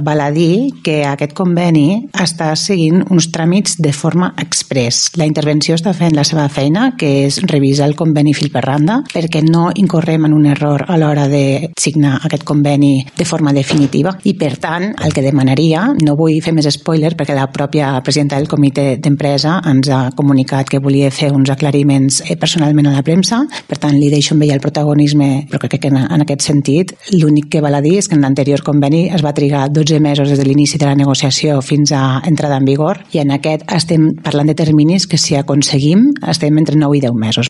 Val a dir que aquest conveni està seguint uns tràmits de forma express. La intervenció està fent la seva feina, que és revisar el conveni fil per randa, perquè no incorrem en un error a l'hora de signar aquest conveni de forma definitiva. I, per tant, el que demanaria, no vull fer més spoiler perquè la pròpia presidenta del comitè d'empresa ens ha comunicat que volia fer uns aclariments personalment a la premsa, per tant, li deixo amb ella el protagonisme, però crec que en aquest sentit l'únic que val a dir és que en l'anterior conveni es va trigar 12 mesos des de l'inici de la negociació fins a entrada en vigor, i en aquest estem parlant de terminis que, si aconseguim, estem entre 9 i 10 mesos.